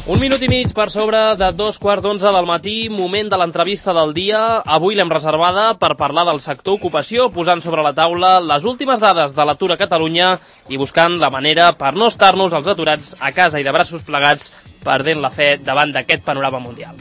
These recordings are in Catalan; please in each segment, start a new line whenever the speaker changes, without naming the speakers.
Un minut i mig per sobre de 2:15 del matí, moment de l'entrevista del dia. Avui l'hem reservada per parlar del sector ocupació, posant sobre la taula les últimes dades de l'atur a Catalunya i buscant la manera per no estar-nos els aturats a casa i de braços plegats perdent la fe davant d'aquest panorama mundial.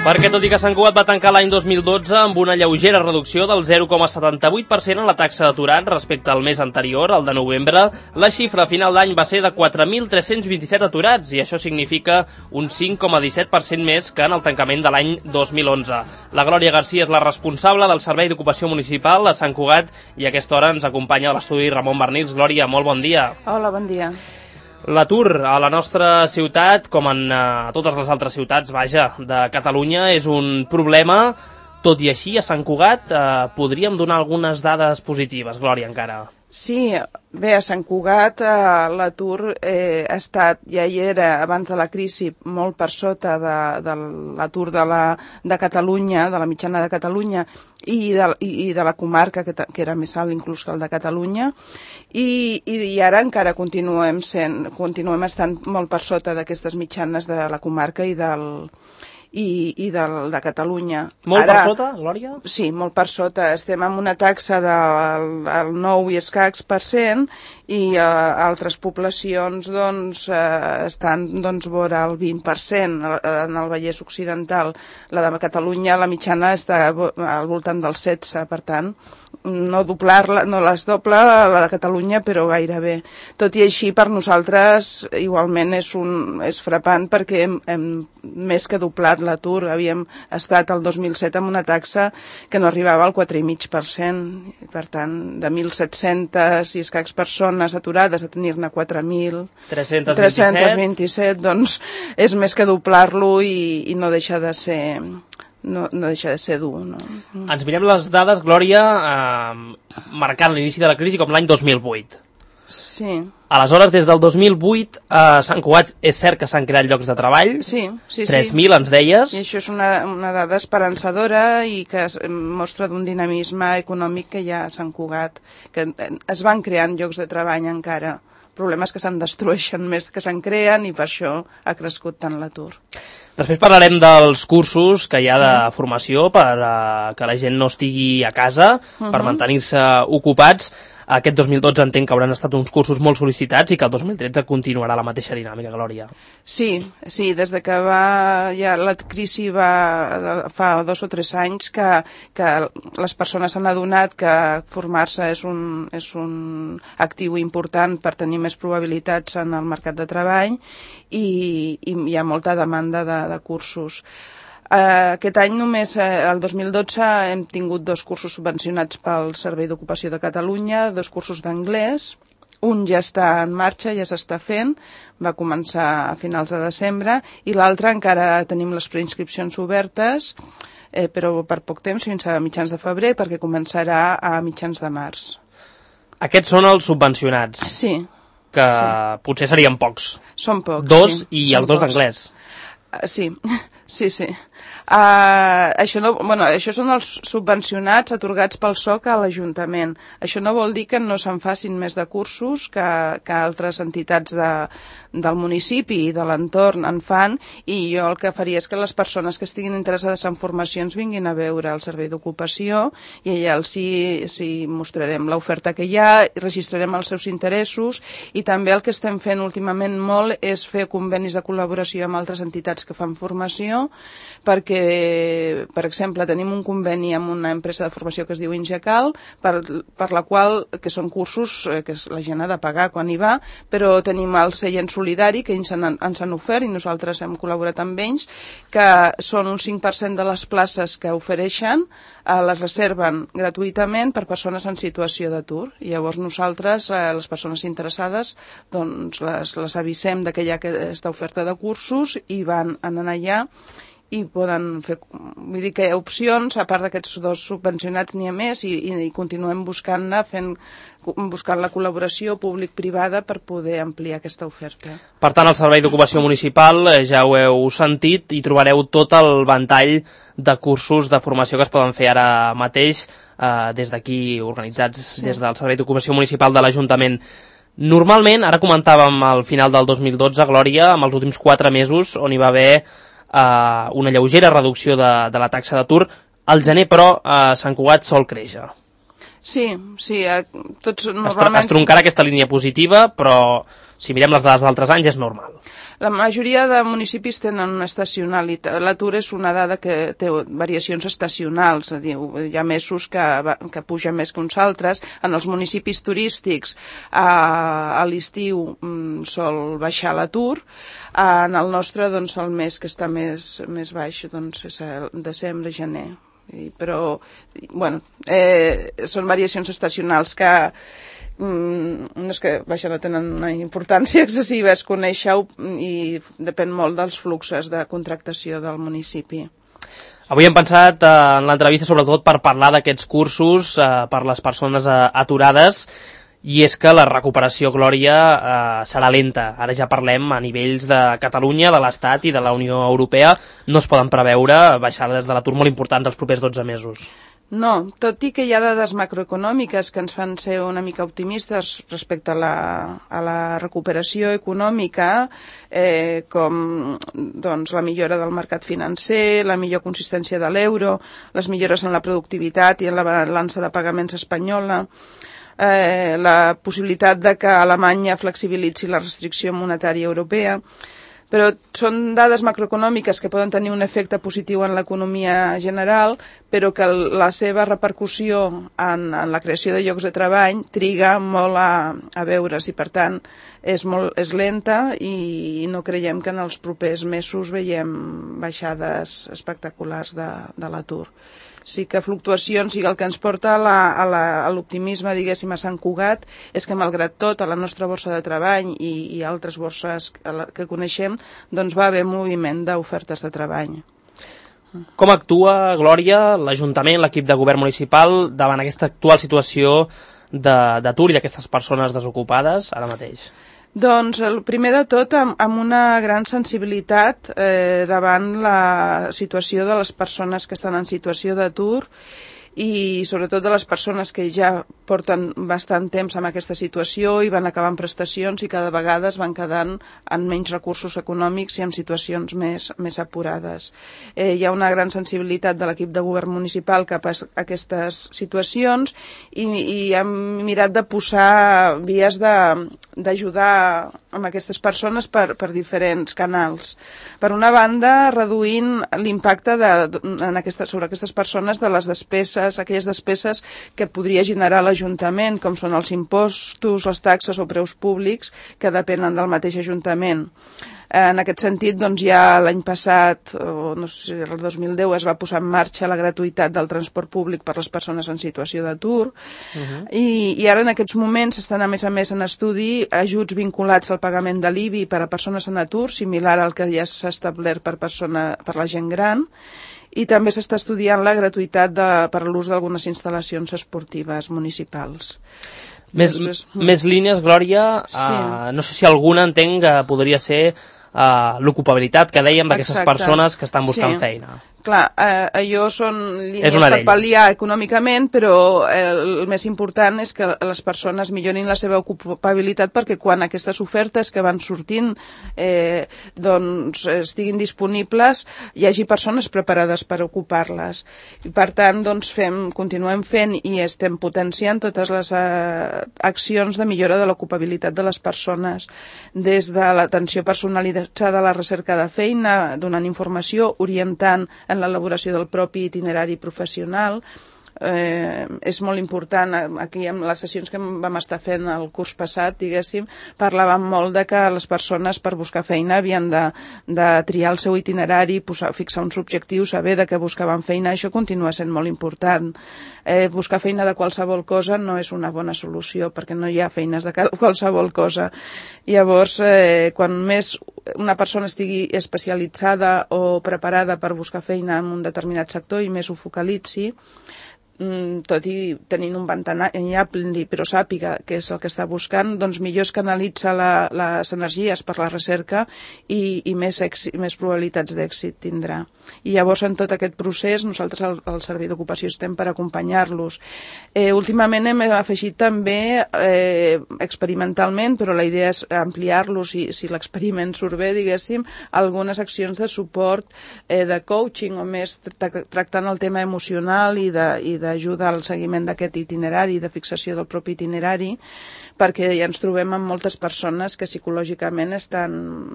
Perquè tot i que Sant Cugat va tancar l'any 2012 amb una lleugera reducció del 0,78% en la taxa d'aturats respecte al mes anterior, el de novembre, la xifra a final d'any va ser de 4.327 aturats i això significa un 5,17% més que en el tancament de l'any 2011. La Glòria Garcia és la responsable del Servei d'Ocupació Municipal a Sant Cugat i a aquesta hora ens acompanya a l'estudi Ramon Bernils. Glòria, molt bon dia.
Hola, bon dia.
L'atur a la nostra ciutat, com en totes les altres ciutats, de Catalunya, és un problema. Tot i així, a Sant Cugat podríem donar algunes dades positives, Glòria, encara.
Sí, bé, a Sant Cugat l'atur ha estat, ja hi era abans de la crisi, molt per sota de l'atur de Catalunya, de la mitjana de Catalunya i de la comarca, que era més alt inclús que el de Catalunya, i ara encara continuem estant molt per sota d'aquestes mitjanes de la comarca i de Catalunya.
Molt per sota, Glòria? Sí,
molt per sota. Estem amb una taxa del 9 i escacs % i altres poblacions estan vora el 20%. En el Vallès Occidental, la de Catalunya, la mitjana està al voltant del 16%, per tant, no les dobla la de Catalunya, però gairebé. Tot i així, per nosaltres, igualment és frapant perquè hem més que doblat l'atur. Havíem estat el 2007 amb una taxa que no arribava al 4,5%. Per tant, de 1.700 i escacs persones aturades a tenir-ne 4.327, doncs és més que doblar-lo i no deixa de ser... No deixa de ser dur, no?
Ens mirem les dades, Glòria, marcant l'inici de la crisi com l'any 2008.
Sí.
Aleshores, des del 2008, a Sant Cugat és cert que s'han creat llocs de treball.
Sí.
3.000, ens deies.
I això és una dada esperançadora i que mostra d'un dinamisme econòmic que hi ha a Sant Cugat, que es van creant llocs de treball encara. Problemes que se'n destrueixen més que se'n creen i per això ha crescut tant l'atur.
Després parlarem dels cursos que hi ha de formació per que la gent no estigui a casa, per mantenir-se ocupats. Aquest 2012 entenc que hauran estat uns cursos molt sol·licitats i que el 2013 continuarà la mateixa dinàmica, Glòria.
Sí, des de que la crisi fa 2 o 3 anys que les persones s'han adonat que formar-se és un actiu important per tenir més probabilitats en el mercat de treball i hi ha molta demanda de cursos. Aquest any només, el 2012, hem tingut 2 cursos subvencionats pel Servei d'Ocupació de Catalunya, 2 cursos d'anglès. Un ja està en marxa, ja s'està fent, va començar a finals de desembre, i l'altre encara tenim les preinscripcions obertes, però per poc temps, fins a mitjans de febrer, perquè començarà a mitjans de març.
Aquests són els subvencionats?
Sí.
Que potser serien pocs.
Són pocs,
2 i els 2 d'anglès.
Sí. Això són els subvencionats atorgats pel SOC a l'Ajuntament. Això no vol dir que no se'n facin més de cursos que altres entitats del municipi i de l'entorn en fan, i jo el que faria és que les persones que estiguin interessades en formacions vinguin a veure el Servei d'Ocupació i allà els mostrarem l'oferta que hi ha, registrarem els seus interessos, i també el que estem fent últimament molt és fer convenis de col·laboració amb altres entitats que fan formació, perquè, per exemple, tenim un conveni amb una empresa de formació que es diu Ingecal, per la qual, que són cursos que la gent ha de pagar quan hi va, però tenim el seient solidari que ens han ofert i nosaltres hem col·laborat amb ells, que són un 5% de les places que ofereixen, les reserven gratuïtament per persones en situació d'atur. I llavors nosaltres, les persones interessades, doncs les avisem que hi ha aquesta oferta de cursos i van anar allà i poden fer, vull dir que hi ha opcions, a part d'aquests 2 subvencionats n'hi ha més i continuem buscant-ne, buscant la col·laboració públic-privada per poder ampliar aquesta oferta.
Per tant, al Servei d'Ocupació Municipal, ja ho heu sentit, i trobareu tot el ventall de cursos de formació que es poden fer ara mateix des d'aquí, organitzats des del Servei d'Ocupació Municipal de l'Ajuntament. Normalment, ara comentàvem al final del 2012, Glòria, amb els últims 4 mesos, on hi va haver una lleugera reducció de la taxa d'atur, al gener, però, Sant Cugat sol créixer.
Sí, tots normalment...
Es troncarà aquesta línia positiva, però si mirem les dades d'altres anys és normal.
La majoria de municipis tenen una estacionalitat. L'atur és una dada que té variacions estacionals. Hi ha mesos que puja més que uns altres. En els municipis turístics a l'estiu sol baixar l'atur. En el nostre, doncs, el mes que està més baix és el desembre, gener. Però, bueno, són variacions estacionals que no és que no tenen una importància excessiva, es conèixer i depèn molt dels fluxos de contractació del municipi.
Avui hem pensat en l'entrevista sobretot per parlar d'aquests cursos per les persones aturades, i és que la recuperació, Glòria, serà lenta. Ara ja parlem a nivells de Catalunya, de l'Estat i de la Unió Europea. No es poden preveure baixades de l'atur molt importants els propers 12 mesos.
No, tot i que hi ha dades macroeconòmiques que ens fan ser una mica optimistes respecte a la recuperació econòmica, com doncs, la millora del mercat financer, la millor consistència de l'euro, les millores en la productivitat i en la balança de pagaments espanyola, la possibilitat de que Alemanya flexibilitzi la restricció monetària europea, però són dades macroeconòmiques que poden tenir un efecte positiu en l'economia general, però que la seva repercussió en la creació de llocs de treball triga molt a veure's i, per tant, és lenta i no creiem que en els propers mesos veiem baixades espectaculars de l'atur. Sí que fluctuacions, i el que ens porta a l'optimisme, diguéssim, a Sant Cugat, és que malgrat tot, a la nostra borsa de treball i altres borses que coneixem, doncs va haver moviment d'ofertes de treball.
Com actua, Glòria, l'Ajuntament, l'equip de govern municipal, davant aquesta actual situació d'atur i d'aquestes persones desocupades ara mateix?
Doncs, primer de tot, amb una gran sensibilitat davant la situació de les persones que estan en situació d'atur i sobretot de les persones que ja porten bastant temps en aquesta situació i van acabant prestacions i cada vegada es van quedant amb menys recursos econòmics i en situacions més apurades. Hi ha una gran sensibilitat de l'equip de govern municipal cap a aquestes situacions i hem mirat de posar vies d'ajudar amb aquestes persones per diferents canals. Per una banda, reduint l'impacte sobre aquestes persones de les despeses, aquelles despeses que podria generar l'Ajuntament, com són els impostos, les taxes o preus públics que depenen del mateix Ajuntament. En aquest sentit, doncs ja l'any passat, o no sé si el 2010, es va posar en marxa la gratuïtat del transport públic per les persones en situació d'atur, i ara en aquests moments estan a més en estudi ajuts vinculats al pagament de l'IBI per a persones en atur, similar al que ja s'ha establert per la gent gran, i també s'està estudiant la gratuïtat per l'ús d'algunes instal·lacions esportives municipals.
Més línies, Glòria, sí. No sé si alguna entenc que podria ser l'ocupabilitat que dèiem d'aquestes persones que estan buscant feina.
Clar, allò són línies per pal·liar econòmicament, però el més important és que les persones millorin la seva ocupabilitat perquè quan aquestes ofertes que van sortint doncs estiguin disponibles hi hagi persones preparades per ocupar-les. I per tant, doncs continuem fent i estem potenciant totes les accions de millora de l'ocupabilitat de les persones, des de l'atenció personalitzada a la recerca de feina, donant informació, orientant en l'elaboració del propi itinerari professional. És molt important, aquí en les sessions que vam estar fent el curs passat, diguéssim, parlàvem molt de que les persones per buscar feina havien de triar el seu itinerari, fixar uns objectius, saber de què buscaven feina. Això continua sent molt important. Buscar feina de qualsevol cosa no és una bona solució, perquè no hi ha feines de qualsevol cosa. Llavors, quan més una persona estigui especialitzada o preparada per buscar feina en un determinat sector i més ho focalitzi, tot i tenint un ventanall ampli, però sàpiga que és el que està buscant, doncs millor es canalitza les energies per la recerca i més probabilitats d'èxit tindrà. I llavors en tot aquest procés nosaltres al Servei d'Ocupació estem per acompanyar-los. Últimament hem afegit també experimentalment, però la idea és ampliar-los si l'experiment surt bé, diguéssim, algunes accions de suport de coaching o més tractant el tema emocional i d'ajuda al seguiment d'aquest itinerari, de fixació del propi itinerari, perquè ja ens trobem amb moltes persones que psicològicament estan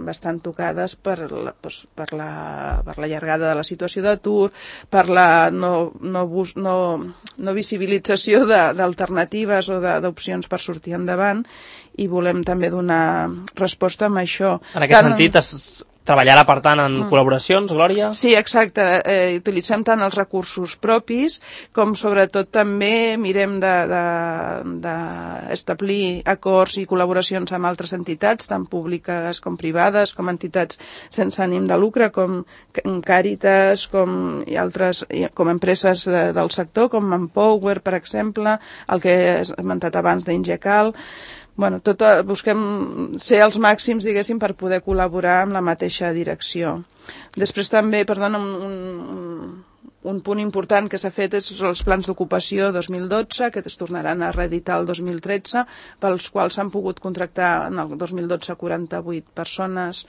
bastant tocades per la llargada de la situació d'atur, per la no visibilització d'alternatives o d'opcions per sortir endavant, i volem també donar resposta amb això.
En aquest sentit, treballarà, per tant, en col·laboracions, Glòria?
Sí, exacte. Utilitzem tant els recursos propis com, sobretot, també mirem d'establir acords i col·laboracions amb altres entitats, tant públiques com privades, com entitats sense ànim de lucre, com Càritas, com altres, com empreses del sector, com Empower, per exemple, el que he esmentat abans d'Ingecal. Bueno, busquem ser els màxims, diguéssim, per poder col·laborar amb la mateixa direcció. Després també, perdona, un punt important que s'ha fet és els plans d'ocupació 2012, que es tornaran a reeditar el 2013, pels quals s'han pogut contractar en el 2012 48 persones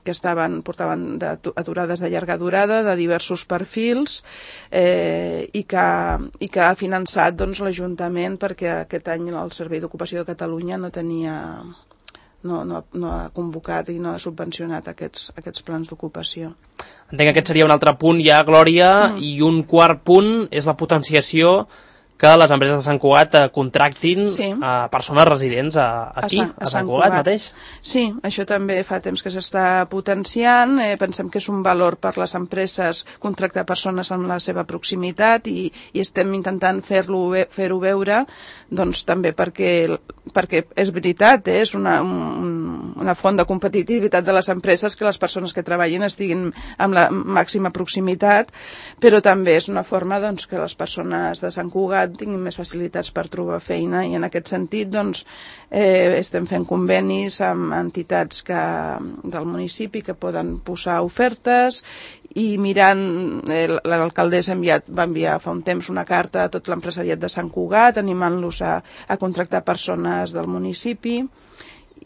que portaven aturades de llarga durada, de diversos perfils, i que ha finançat l'Ajuntament, perquè aquest any el Servei d'Ocupació de Catalunya no ha convocat i no ha subvencionat aquests plans d'ocupació.
Entenc que aquest seria un altre punt ja, Glòria, i un quart punt és la potenciació que les empreses de Sant Cugat contractin a persones residents aquí, a Sant Cugat mateix.
Sí, això també fa temps que s'està potenciant. Pensem que és un valor per les empreses contractar persones amb la seva proximitat i estem intentant fer-ho veure, doncs també perquè és veritat, és una font de competitivitat de les empreses que les persones que treballin estiguin amb la màxima proximitat, però també és una forma que les persones de Sant Cugat tinguin més facilitats per trobar feina, i en aquest sentit estem fent convenis amb entitats del municipi que poden posar ofertes, i mirant, l'alcaldessa va enviar fa un temps una carta a tot l'empresariat de Sant Cugat animant-los a contractar persones del municipi,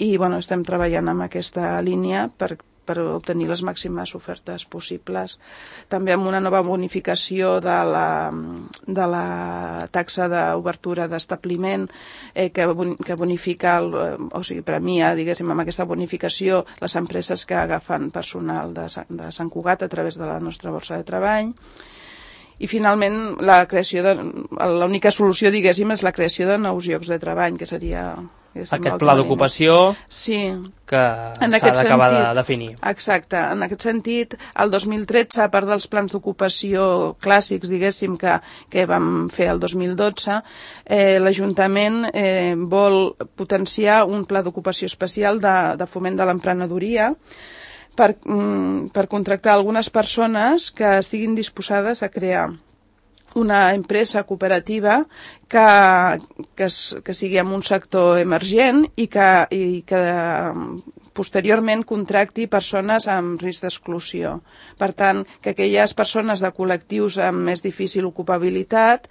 i estem treballant en aquesta línia per obtenir les màximes ofertes possibles. També amb una nova bonificació de la taxa d'obertura d'establiment que bonifica, o sigui, premia, diguéssim, amb aquesta bonificació les empreses que agafen personal de Sant Cugat a través de la nostra borsa de treball. I finalment l'única solució, diguéssim, és la creació de nous llocs de treball, que seria
aquest pla d'ocupació que s'ha d'acabar de definir.
Exacte. En aquest sentit, el 2013, a part dels plans d'ocupació clàssics, diguéssim, que vam fer el 2012, l'Ajuntament vol potenciar un pla d'ocupació especial de foment de l'emprenedoria per contractar algunes persones que estiguin disposades a crear una empresa cooperativa que sigui en un sector emergent i que posteriorment contracti persones amb risc d'exclusió. Per tant, que aquelles persones de col·lectius amb més difícil ocupabilitat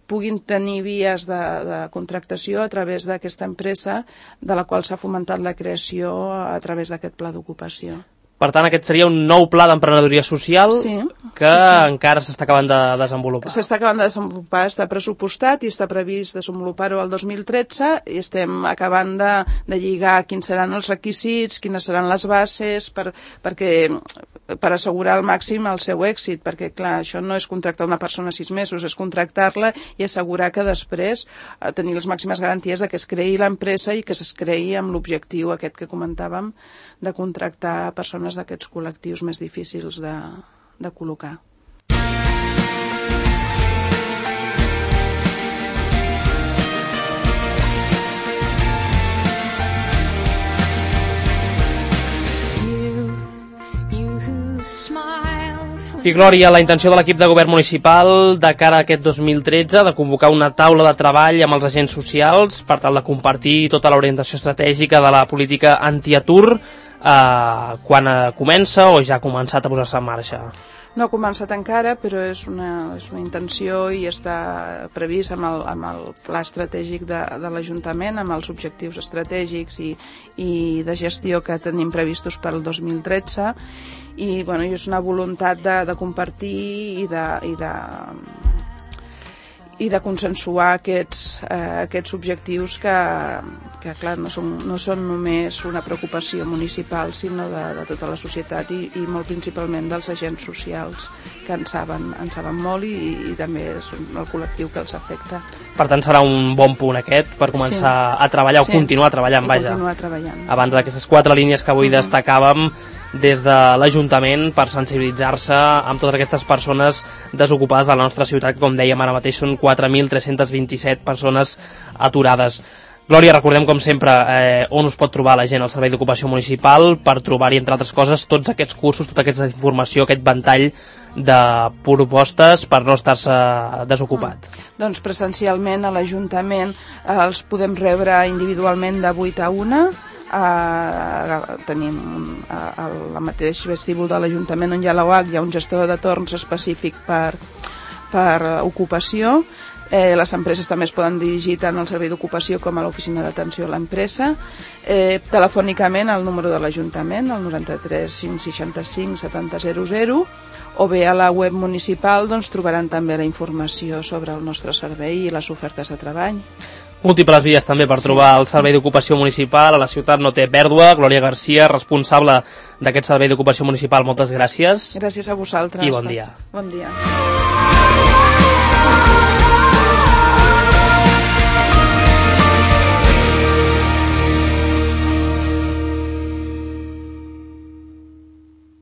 puguin tenir vies de contractació a través d'aquesta empresa, de la qual s'ha fomentat la creació a través d'aquest pla d'ocupació.
Per tant, aquest seria un nou pla d'emprenedoria social que encara s'està acabant de desenvolupar.
S'està acabant de desenvolupar, està pressupostat i està previst desenvolupar-ho el 2013, i estem acabant de lligar quins seran els requisits, quines seran les bases, per assegurar al màxim el seu èxit, perquè, clar, això no és contractar una persona 6 mesos, és contractar-la i assegurar que després tenir les màximes garanties de que es creï l'empresa i que es creï amb l'objectiu aquest que comentàvem, de contractar persones d'aquests col·lectius més difícils de col·locar.
You who smiled for
I Glòria, la intenció de l'equip de govern municipal de cara a aquest 2013 de convocar una taula de treball amb els agents socials per tal de compartir tota l'orientació estratègica de la política antiatur quan comença o ja ha començat a posar-se en marxa.
No ha començat encara, però és una intenció i està previst amb el pla estratègic de l'Ajuntament, amb els objectius estratègics i de gestió que tenim previstos per al 2013, i bueno, és una voluntat de compartir i de consensuar aquests objectius que clar, no són només una preocupació municipal, sinó de tota la societat i molt principalment dels agents socials, que en saben molt i també és el col·lectiu que els afecta.
Per tant, serà un bon punt aquest per començar a treballar o continuar treballant, vaja.
Continuar treballant.
Abans d'aquestes 4 línies que avui destacàvem des de l'Ajuntament per sensibilitzar-se amb totes aquestes persones desocupades de la nostra ciutat, que com dèiem ara mateix són 4.327 persones aturades. Glòria, recordem com sempre on us pot trobar la gent al Servei d'Ocupació Municipal per trobar-hi, entre altres coses, tots aquests cursos, tota aquesta informació, aquest ventall de propostes per no estar-se desocupat.
Doncs presencialment a l'Ajuntament els podem rebre individualment de 8 a 1. Tenim al mateix vestíbul de l'Ajuntament on hi ha l'OH, hi ha un gestor de torns específic per ocupació. Les empreses també es poden dirigir tant al servei d'ocupació com a l'oficina d'atenció a l'empresa. Telefònicament al número de l'Ajuntament, el 93 565 7000, o bé a la web municipal trobaran també la informació sobre el nostre servei i les ofertes de treball.
Múltiples vies també per trobar el Servei d'Ocupació Municipal. A la ciutat no té pèrdua. Glòria Garcia, responsable d'aquest Servei d'Ocupació Municipal, moltes gràcies.
Gràcies a vosaltres.
I bon dia.
Bon dia.